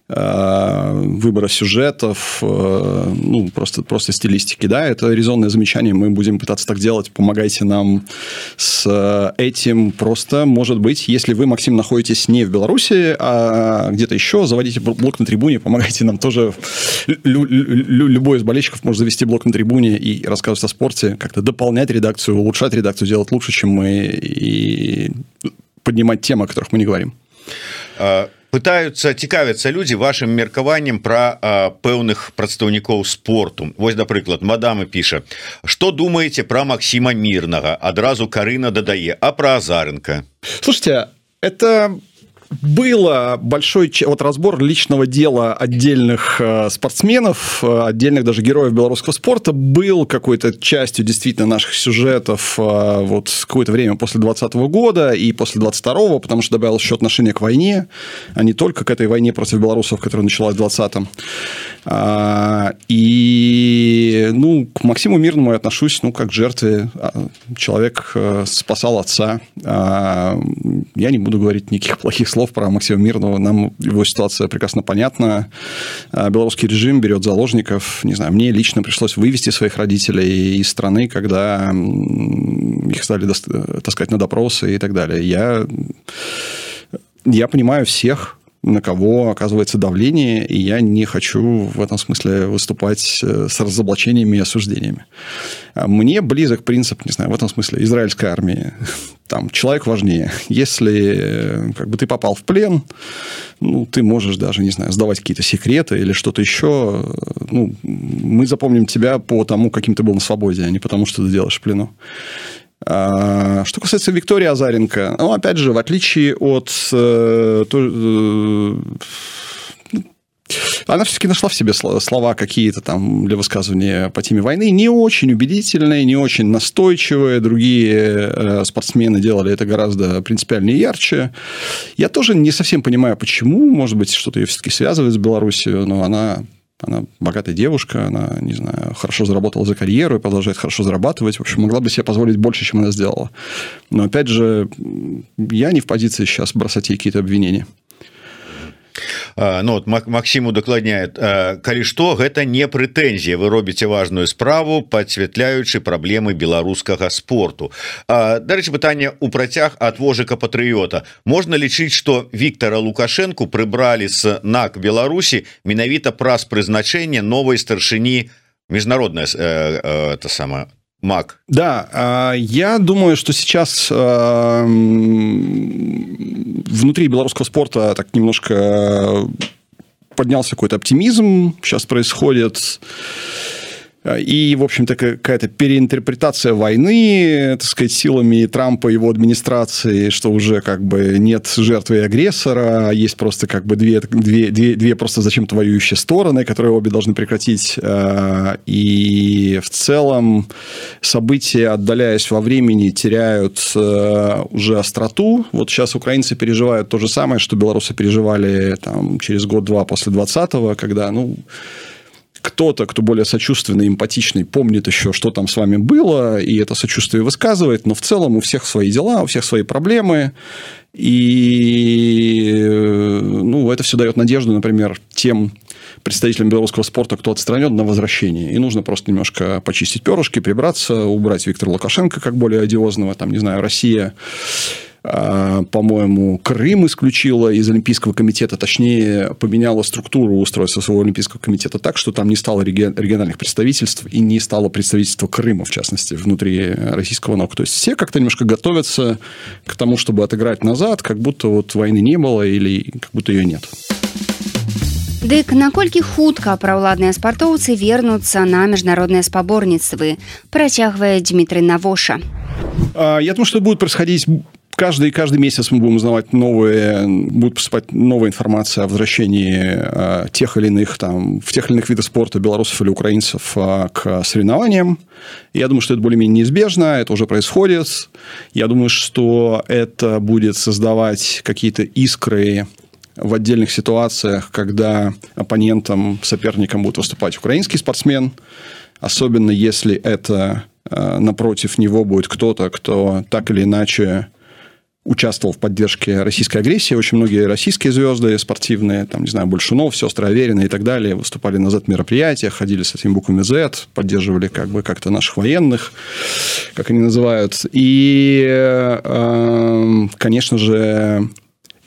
выбора сюжетов, просто стилистики, да, это резонное замечание, мы будем пытаться так делать, помогайте нам с этим, просто, может быть, если вы, Максим, находитесь не в Беларуси, а где-то еще, заводите блог на трибуне, помогайте нам тоже, любой из болельщиков может завести блог на трибуне и рассказывать о спорте, как-то дополнять редакцию, улучшать редакцию, делать лучше, чем мы, и поднимать темы, о которых мы не говорим. Пытаются, цікавяцца людзі вашим меркаваннем пра пэўных прадстаўнікоў спорту. Вось, напрыклад, мадамы піша: что думаете про Максима Мирного? Адразу Карына дадае: а про Азаренко? Слушайте, это было большой разбор личного дела отдельных спортсменов, отдельных даже героев белорусского спорта, был какой-то частью действительно наших сюжетов какое-то время после 2020 года и после 2022, потому что добавилось еще отношение к войне, а не только к этой войне против белорусов, которая началась в 2020-м. И к Максиму Мирному я отношусь как к жертве. Человек спасал отца. Я не буду говорить никаких плохих слов про Максима Мирного. Нам его ситуация прекрасно понятна. Белорусский режим берет заложников. Не знаю, мне лично пришлось вывести своих родителей из страны, когда их стали таскать на допросы и так далее. Я понимаю всех, на кого оказывается давление, и я не хочу в этом смысле выступать с разоблачениями и осуждениями. Мне близок принцип, не знаю, в этом смысле израильской армии. Там человек важнее. Если ты попал в плен, ты можешь даже, не знаю, сдавать какие-то секреты или что-то еще. Мы запомним тебя по тому, каким ты был на свободе, а не потому, что ты делаешь в плену. Что касается Виктории Азаренко, ну, опять же, в отличие от... Она все-таки нашла в себе слова какие-то там для высказывания по теме войны, не очень убедительные, не очень настойчивые. Другие спортсмены делали это гораздо принципиальнее и ярче. Я тоже не совсем понимаю, почему. Может быть, что-то ее все-таки связывает с Беларусью, но она богатая девушка, она, не знаю, хорошо заработала за карьеру и продолжает хорошо зарабатывать. В общем, могла бы себе позволить больше, чем она сделала. Но, опять же, я не в позиции сейчас бросать ей какие-то обвинения. Ну, вот Максим удакладняет, калі што, гэта не прэтэнзія, вы робіце важную справу, падсвятляючы праблемы беларускага спорту. Дарэчы, пытанне ў працяг ад вожыка патрыёта. Можна лічыць, што Віктора Лукашэнку прыбралі з НАК Беларусі менавіта праз прызначэнне новай старшыні міжнародная это самое МАК. Да, я думаю, что сейчас внутри белорусского спорта так немножко поднялся какой-то оптимизм, сейчас происходит, и, в общем-то, какая-то переинтерпретация войны, так сказать, силами Трампа и его администрации, что уже как бы нет жертвы и агрессора, есть просто как бы две просто зачем-то воюющие стороны, которые обе должны прекратить. И в целом события, отдаляясь во времени, теряют уже остроту. Вот сейчас украинцы переживают то же самое, что белорусы переживали там, через год-два после 20-го, когда, кто-то, кто более сочувственный, эмпатичный, помнит еще, что там с вами было, и это сочувствие высказывает, но в целом у всех свои дела, у всех свои проблемы, и это все дает надежду, например, тем представителям белорусского спорта, кто отстранен, на возвращение. И нужно просто немножко почистить перышки, прибраться, убрать Виктора Лукашенко как более одиозного, там, не знаю, Россия... по-моему, Крым исключила из Олимпийского комитета, точнее, поменяла структуру устройства своего Олимпийского комитета так, что там не стало региональных представительств и не стало представительства Крыма, в частности, внутри российского НОК. То есть, все как-то немножко готовятся к тому, чтобы отыграть назад, как будто вот войны не было или как будто ее нет. Дык наколькі хутка праўладныя спартоўцы вернуцца на міжнародныя спаборніцтвы, працягвае Дмітрый Навоша. Я думаю, что будет происходить... Каждый месяц мы будем узнавать будет поступать новая информация о возвращении тех или иных, в тех или иных видах спорта белорусов или украинцев к соревнованиям. Я думаю, что это более-менее неизбежно, это уже происходит. Я думаю, что это будет создавать какие-то искры в отдельных ситуациях, когда оппонентом, соперником будет выступать украинский спортсмен, особенно если это напротив него будет кто-то, кто так или иначе участвовал в поддержке российской агрессии. Очень многие российские звезды спортивные, там, не знаю, Большунов, сестры Аверины и так далее, выступали на Z-мероприятиях, ходили с этими буквами Z, поддерживали как-то наших военных, как они называют. И, конечно же,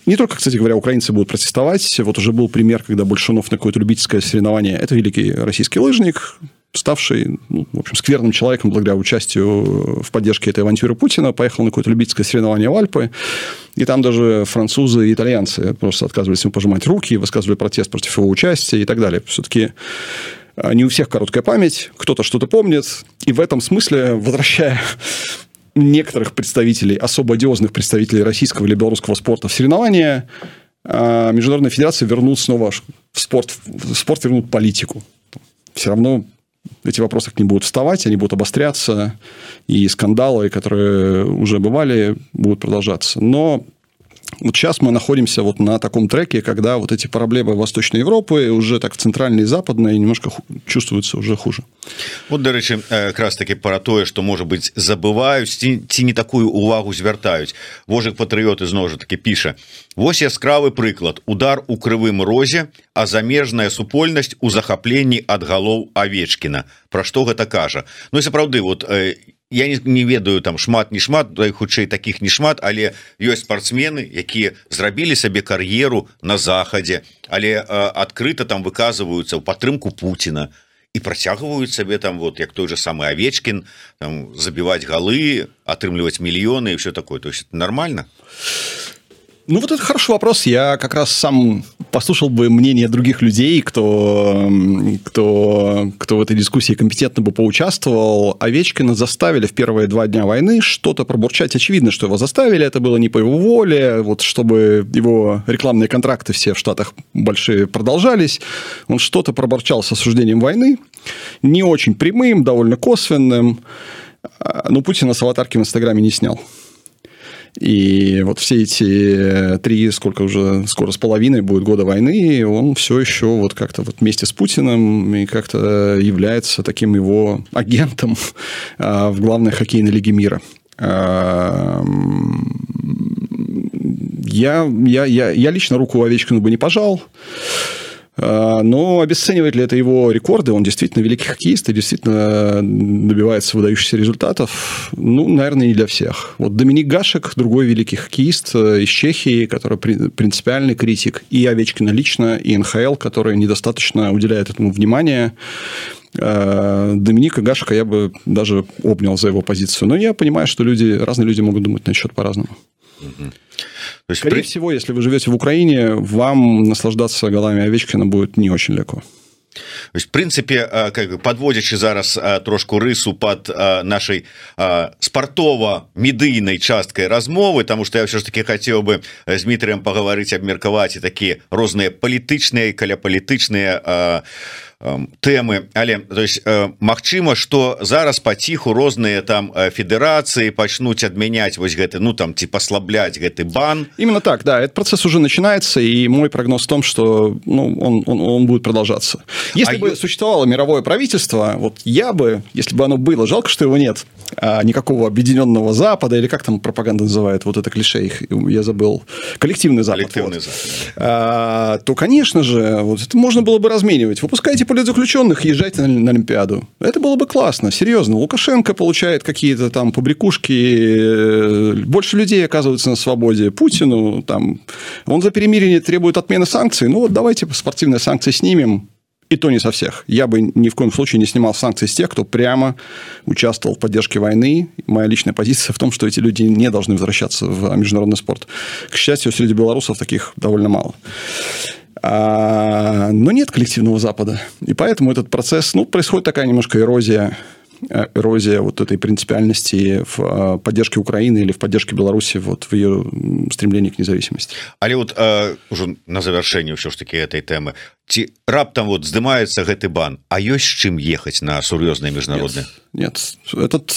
не только, кстати говоря, украинцы будут протестовать. Вот уже был пример, когда Большунов на какое-то любительское соревнование, это великий российский лыжник, ставший, в общем, скверным человеком благодаря участию в поддержке этой авантюры Путина, поехал на какое-то любительское соревнование в Альпы, и там даже французы и итальянцы просто отказывались ему пожимать руки, высказывали протест против его участия и так далее. Все-таки не у всех короткая память, кто-то что-то помнит, и в этом смысле, возвращая некоторых представителей, особо одиозных представителей российского или белорусского спорта в соревнования, Международная федерация вернут снова в спорт вернут политику. Все равно эти вопросы к ним будут вставать, они будут обостряться, и скандалы, которые уже бывали, будут продолжаться. Но вот сейчас мы находимся вот на таком треке, когда вот эти проблемы Восточной Европы уже так в центральной и западной немножко чувствуются уже хуже. Вот, дарэчы, как раз таки про тое, что, может быть, забываюць ці не такую увагу звяртаюць. Вожык патрыёт ізноў жа таки піша: вось яскравы прыклад, удар у Крывым Розе, а замежная супольнасць у захапленні ад галоў Авечкіна. Пра што гэта кажа? Ну і сапраўды, вот я не ведаю там шмат не шмат, хутчэй таких не шмат, але ёсць спортсмены, якія зрабілі сабе кар'еру на захадзе, але адкрыта там выказваюцца ў падтрымку Пуціна і працягваюць сабе там, вот як той же самы Авечкін, там забіваць галы, атрымліваць мільёны і все такое. То есть это нормально? Ну, вот это хороший вопрос. Я как раз сам послушал бы мнение других людей, кто в этой дискуссии компетентно бы поучаствовал. Овечкина заставили в первые 2 дня войны что-то пробурчать. Очевидно, что его заставили. Это было не по его воле. Вот чтобы его рекламные контракты все в Штатах большие продолжались. Он что-то пробурчал с осуждением войны. Не очень прямым, довольно косвенным. Но Путина с аватарки в Инстаграме не снял. И вот все эти 3, сколько уже, скоро с половиной будет года войны, он все еще вот как-то вот вместе с Путиным и как-то является таким его агентом в главной хоккейной лиге мира. Я лично руку Овечкину бы не пожал. Но обесценивает ли это его рекорды? Он действительно великий хоккеист и действительно добивается выдающихся результатов. Ну, наверное, не для всех. Вот Доминик Гашек, другой великий хоккеист из Чехии, который принципиальный критик. И Овечкина лично, и НХЛ, который недостаточно уделяет этому внимания. Доминика Гашека я бы даже обнял за его позицию. Но я понимаю, что разные люди могут думать на счет по-разному. То есть, скорее всего, если вы живете в Украине, вам наслаждаться голами Овечкина будет не очень легко. То есть, в принципе, подводячи зараз трошку рису под нашей спартова-медыйной часткой размовы, потому что я все ж таки хотел бы с Дмитрием поговорить, обмерковать и такие разные политичные, каляполітычныя тэмы, але то есть магчыма, что зараз паціху розныя там федерации пачнуць адмяняць вось гэты, ну там типа послаблять гэты бан. Именно так, да, этот процесс уже начинается, и мой прогноз в том, что он будет продолжаться. Если бы существовало мировое правительство, вот я бы, если бы оно было, жалко, что его нет, никакого объединенного Запада, или как там пропаганда называет, вот это клише, я забыл, коллективный Запад. То, конечно же, вот это можно было бы разменивать. Выпускайте политзаключенных, езжайте на Олимпиаду. Это было бы классно, серьезно. Лукашенко получает какие-то там побрякушки, больше людей оказывается на свободе. Путину там, он за перемирие требует отмены санкций. Ну вот давайте спортивные санкции снимем. И то не со всех. Я бы ни в коем случае не снимал санкции с тех, кто прямо участвовал в поддержке войны. Моя личная позиция в том, что эти люди не должны возвращаться в международный спорт. К счастью, среди белорусов таких довольно мало. Но нет коллективного Запада. И поэтому этот процесс, происходит такая немножко эрозия вот этой принципиальности в поддержке Украины или в поддержке Беларуси вот в ее стремлении к независимости. Але вот уже на завершение все ж таки этой темы, ці раптам вот здымаецца гэты бан, а ёсць з чым ехаць на сур'ёзныя міжнародныя? Нет. Этот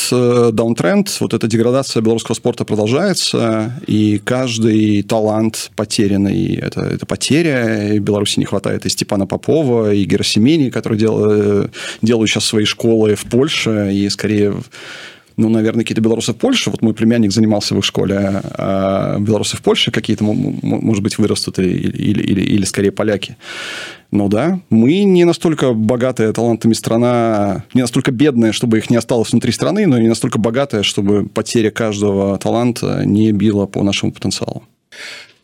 даунтренд, вот эта деградация белорусского спорта продолжается, и каждый талант потерянный, это потеря. И Беларуси не хватает и Степана Попова, и Герасимени, которые делают сейчас свои школы в Польше, и скорее... наверное, какие-то белорусы в Польше. Вот мой племянник занимался в их школе, а белорусы в Польше какие-то, может быть, вырастут или скорее поляки. Но да, мы не настолько богатая талантами страна, не настолько бедная, чтобы их не осталось внутри страны, но и не настолько богатая, чтобы потеря каждого таланта не била по нашему потенциалу.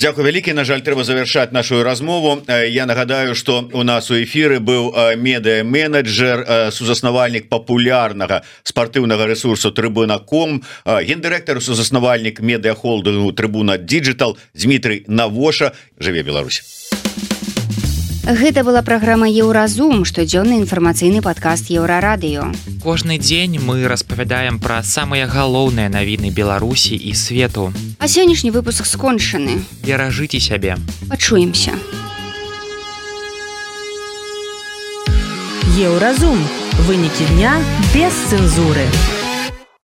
Дякую вялікі. На жаль, трэба завяршаць нашу размову. Я нагадаю, што у нас у эфіры быў медыа-менеджер, сузаснавальнік папулярнага спартыўнага рэсурсу Трыбуна.ком, гендырэктар, сузаснавальнік медыа-холдынгу Трыбуна Digital Дмітрый Навоша. Жыве Беларусь. Гэта была праграма «Еўразум», штодзённы інфармацыйны падкаст Еўрарадыё. Кожны дзень мы распавядаем пра самыя галоўныя навіны Беларусі і свету. А сённяшні выпуск скончаны. Беражыце сябе. Пачуемся. Еўразум. Вынікі дня без цэнзуры.